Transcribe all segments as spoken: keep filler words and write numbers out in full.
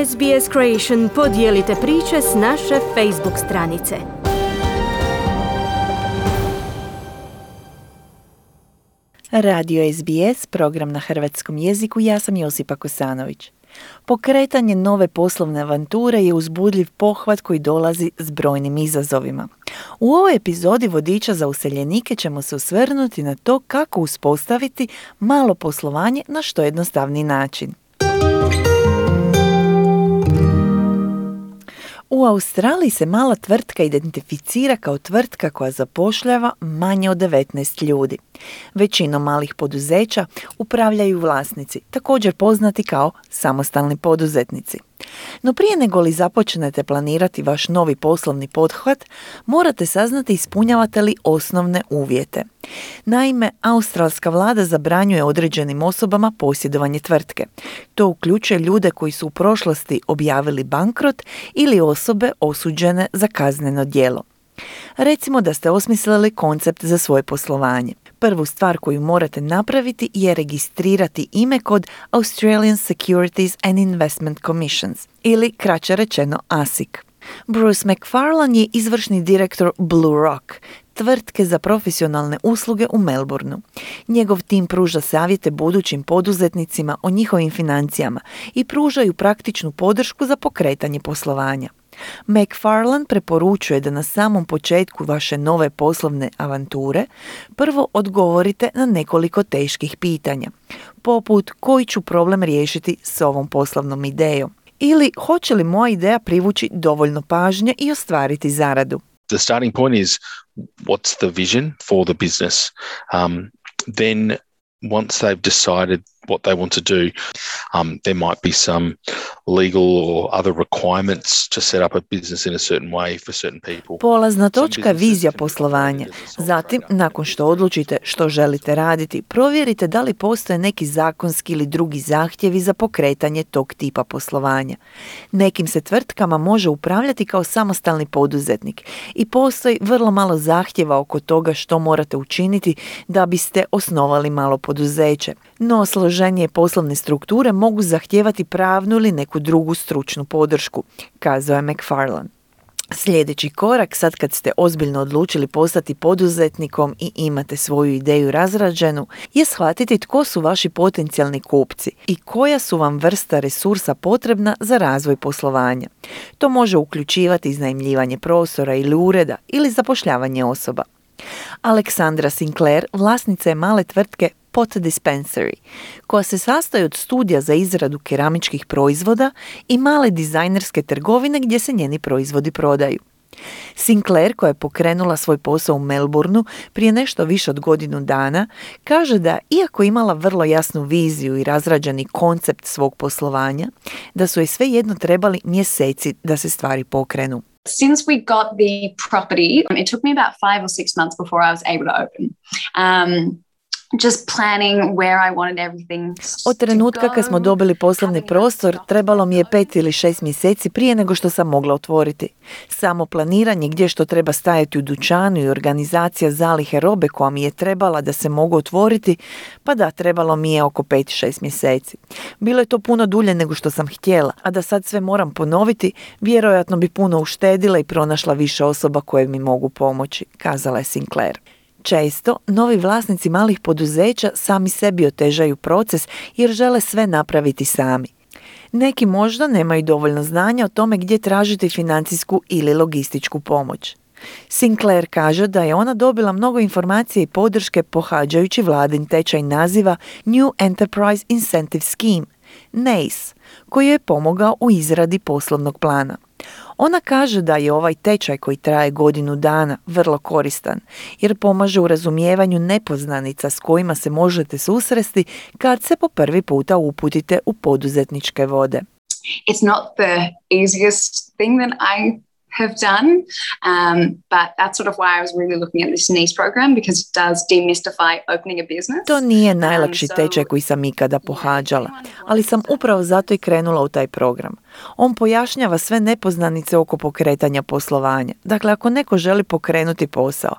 S B S Creation podijelite priče s naše Facebook stranice. Radio S B S, program na hrvatskom jeziku, ja sam Josipa Kosanović. Pokretanje nove poslovne avanture je uzbudljiv pohvat koji dolazi s brojnim izazovima. U ovoj epizodi Vodiča za useljenike ćemo se osvrnuti na to kako uspostaviti malo poslovanje na što jednostavniji način. U Australiji se mala tvrtka identificira kao tvrtka koja zapošljava manje od devetnaest ljudi. Većinom malih poduzeća upravljaju vlasnici, također poznati kao samostalni poduzetnici. No prije nego li započnete planirati vaš novi poslovni pothvat, morate saznati ispunjavate li osnovne uvjete. Naime, australska vlada zabranjuje određenim osobama posjedovanje tvrtke. To uključuje ljude koji su u prošlosti objavili bankrot ili osobe osuđene za kazneno djelo. Recimo da ste osmislili koncept za svoje poslovanje. Prvu stvar koju morate napraviti je registrirati ime kod Australian Securities and Investment Commissions, ili kraće rečeno A S I C. Bruce McFarlane je izvršni direktor Blue Rock, tvrtke za profesionalne usluge u Melbourneu. Njegov tim pruža savjete budućim poduzetnicima o njihovim financijama i pružaju praktičnu podršku za pokretanje poslovanja. McFarlane preporučuje da na samom početku vaše nove poslovne avanture prvo odgovorite na nekoliko teških pitanja, poput koji ću problem riješiti s ovom poslovnom idejom ili hoće li moja ideja privući dovoljno pažnje i ostvariti zaradu. The starting point is what's the vision for the business. Um, then once they've decided what they want to do, um, there might be some legal or other requirements to set up a business in a certain way for certain people. Polazna točka je vizija poslovanja. Zatim, nakon što odlučite što želite raditi, provjerite da li postoje neki zakonski ili drugi zahtjevi za pokretanje tog tipa poslovanja. Nekim se tvrtkama može upravljati kao samostalni poduzetnik i postoji vrlo malo zahtjeva oko toga što morate učiniti da biste osnovali malo poduzeće. No, složenije poslovne strukture mogu zahtijevati pravnu ili neku drugu stručnu podršku, kazao je McFarlane. Sljedeći korak, sad kad ste ozbiljno odlučili postati poduzetnikom i imate svoju ideju razrađenu, je shvatiti tko su vaši potencijalni kupci i koja su vam vrsta resursa potrebna za razvoj poslovanja. To može uključivati iznajmljivanje prostora ili ureda ili zapošljavanje osoba. Aleksandra Sinclair, vlasnica je male tvrtke Pot Dispensary, koja se sastoji od studija za izradu keramičkih proizvoda i male dizajnerske trgovine gdje se njeni proizvodi prodaju. Sinclair, koja je pokrenula svoj posao u Melbourneu prije nešto više od godinu dana, kaže da, iako imala vrlo jasnu viziju i razrađeni koncept svog poslovanja, da su joj svejedno trebali mjeseci da se stvari pokrenu. Since we got the property, it took me about five or six months before I was able to open. Um, Just planning where I wanted everything. Od trenutka kad smo dobili poslovni prostor, trebalo mi je pet ili šest mjeseci prije nego što sam mogla otvoriti. Samo planiranje gdje što treba stajati u dućanu i organizacija zalihe robe koja mi je trebala da se mogu otvoriti, pa da, trebalo mi je oko pet šest mjeseci. Bilo je to puno dulje nego što sam htjela, a da sad sve moram ponoviti, vjerojatno bi puno uštedila i pronašla više osoba koje mi mogu pomoći, kazala je Sinclair. Često, novi vlasnici malih poduzeća sami sebi otežaju proces jer žele sve napraviti sami. Neki možda nemaju dovoljno znanja o tome gdje tražiti financijsku ili logističku pomoć. Sinclair kaže da je ona dobila mnogo informacije i podrške pohađajući vladin tečaj naziva New Enterprise Incentive Scheme, N E I S, koji je pomogao u izradi poslovnog plana. Ona kaže da je ovaj tečaj koji traje godinu dana vrlo koristan jer pomaže u razumijevanju nepoznanica s kojima se možete susresti kad se po prvi puta uputite u poduzetničke vode. It's not the easiest thing that I have done, um, but that's sort of why I was really looking at this N E I S program because it does demystify opening a business. To nije najlakši tečaj koji sam ikada pohađala, ali sam upravo zato i krenula u taj program. On pojašnjava sve nepoznanice oko pokretanja poslovanja. Dakle, ako neko želi pokrenuti posao,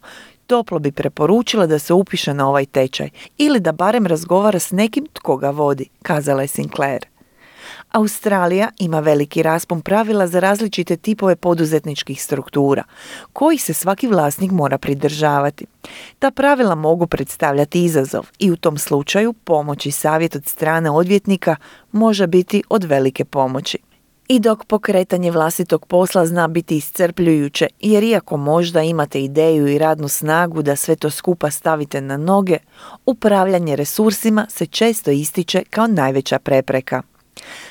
toplo bi preporučila da se upiše na ovaj tečaj ili da barem razgovara s nekim tko ga vodi, kazala je Sinclair. Australija ima veliki raspon pravila za različite tipove poduzetničkih struktura, kojih se svaki vlasnik mora pridržavati. Ta pravila mogu predstavljati izazov i u tom slučaju pomoć i savjet od strane odvjetnika može biti od velike pomoći. I dok pokretanje vlastitog posla zna biti iscrpljujuće, jer iako možda imate ideju i radnu snagu da sve to skupa stavite na noge, upravljanje resursima se često ističe kao najveća prepreka.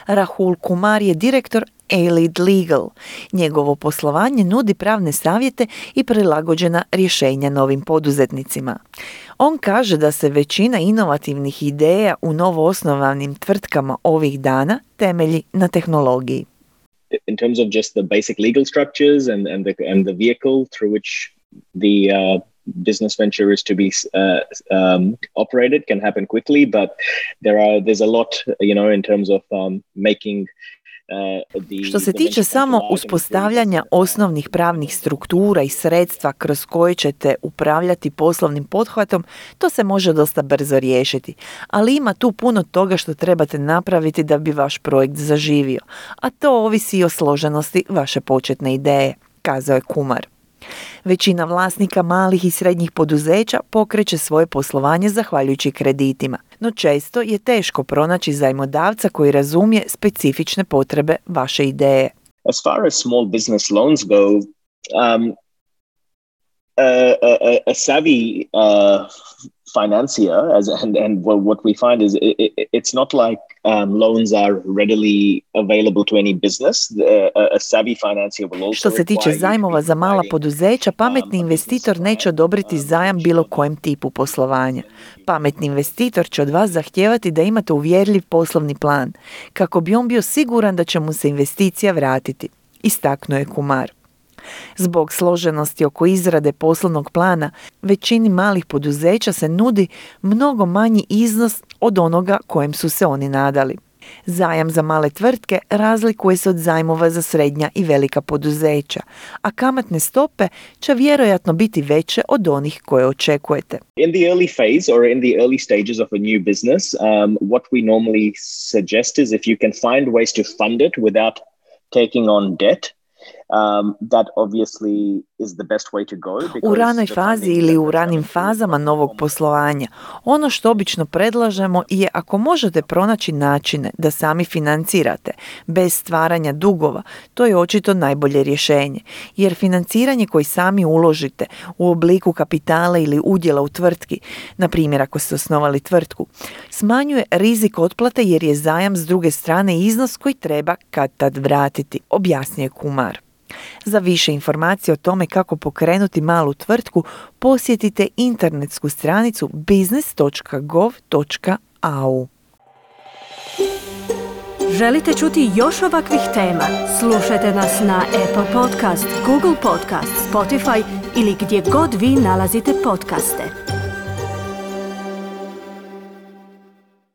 Rahul Kumar je direktor A-Lead Legal. Njegovo poslovanje nudi pravne savjete i prilagođena rješenja novim poduzetnicima. On kaže da se većina inovativnih ideja u novoosnovanim tvrtkama ovih dana temelji na tehnologiji. In terms of just the basic legal structures and, and, the, and the vehicle through which the uh, business venture is to be uh, um, operated can happen quickly, but there are there's a lot, you know, in terms of um, making Što se tiče samo uspostavljanja osnovnih pravnih struktura i sredstva kroz koje ćete upravljati poslovnim pothvatom, to se može dosta brzo riješiti, ali ima tu puno toga što trebate napraviti da bi vaš projekt zaživio, a to ovisi i o složenosti vaše početne ideje, kazao je Kumar. Većina vlasnika malih i srednjih poduzeća pokreće svoje poslovanje zahvaljujući kreditima, no često je teško pronaći zajmodavca koji razumije specifične potrebe vaše ideje. As far as small business loans go, um, a, a, a savvy uh, financier, as and and what we find is it, it, it's not like um, loans are readily available to any business. A, a savvy financier will also. Što se tiče zajmova za mala poduzeća, pametni investitor neće odobriti zajam bilo kojem tipu poslovanja. Pametni investitor će od vas zahtijevati da imate uvjerljiv poslovni plan, kako bi on bio siguran da će mu se investicija vratiti, istaknuo je Kumar. Zbog složenosti oko izrade poslovnog plana, većini malih poduzeća se nudi mnogo manji iznos od onoga kojem su se oni nadali. Zajam za male tvrtke razlikuje se od zajmova za srednja i velika poduzeća, a kamatne stope će vjerojatno biti veće od onih koje očekujete. In the early phase or in the early stages of a new business, um, what we normally suggest is if you can find ways to fund it without taking on debt, Um, that obviously is the best way to go. U ranoj fazi ili u ranim fazama novog poslovanja, ono što obično predlažemo je ako možete pronaći načine da sami financirate bez stvaranja dugova, to je očito najbolje rješenje, jer financiranje koji sami uložite u obliku kapitala ili udjela u tvrtki, na primjer ako ste osnovali tvrtku, smanjuje rizik otplate jer je zajam s druge strane iznos koji treba kad tad vratiti, objasnio je Kumar. Za više informacije o tome kako pokrenuti malu tvrtku, posjetite internetsku stranicu business dot gov dot a u. Želite čuti još ovakvih tema? Slušajte nas na Apple Podcast, Google Podcast, Spotify ili gdje god vi nalazite podcaste.